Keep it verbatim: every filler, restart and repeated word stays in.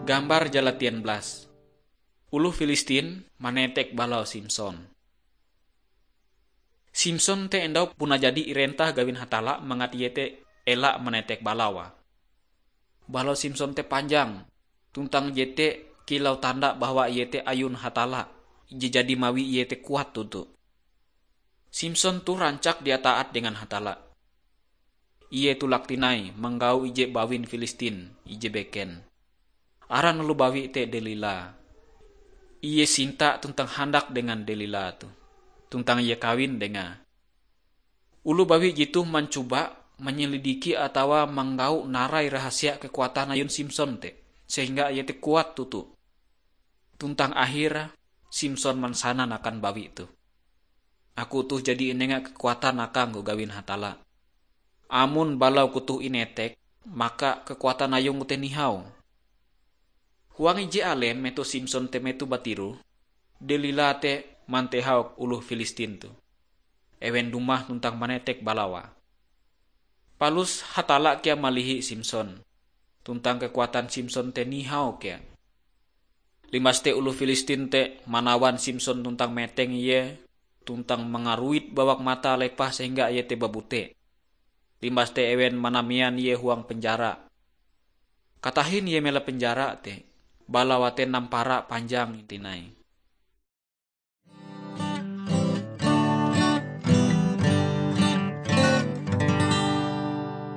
Gambar jalatian blas. Oloh Filistin manetek balau Simson. Simson te endau puna jadi irentah gawin Hatalla mangat ie te ela manetek balawa. Balau Simson te panjang, tuntang jete kilau tanda bahwa ie te ayun Hatalla, ije jadi mawi ie te kuat toto. Simson toh rancak dia taat dengan Hatalla. Ie tulak tinai manggau ije bawin Filistin, ije beken. Aran oloh bawi te Delila. Ie sinta tuntang handak dengan Delila toh, tuntang ie kawin dengae. Oloh bawi jetoh mancoba manyelidiki atawa manggau narai rahasia kekuatan ayun Simson te, sehingga ie te kuat toto. Tuntang akhir Simson mansanan akan bawi toh, "Aku toh jadi inenga kekuatan akangku gawin Hatalla. Amon balauku toh inetek, maka kekuatan ayungku te nihau." Huang ije alem metoh Simson te metoh batiroh, Delila te mantehau oloh Filistin toh. Ewen dumah tuntang manetek balawa. Palus Hatalla kea malihi Simson, tuntang kekuatan Simson te nihau kea. Limbas te oloh Filistin te manawan Simson tuntang meteng ie, tuntang mangaruit bawak matae lepah sehingga ie te babute. Limbas te ewen manamean ie huang penjara. Katahin ie mela penjara te, balawa te nampara panjang tinai.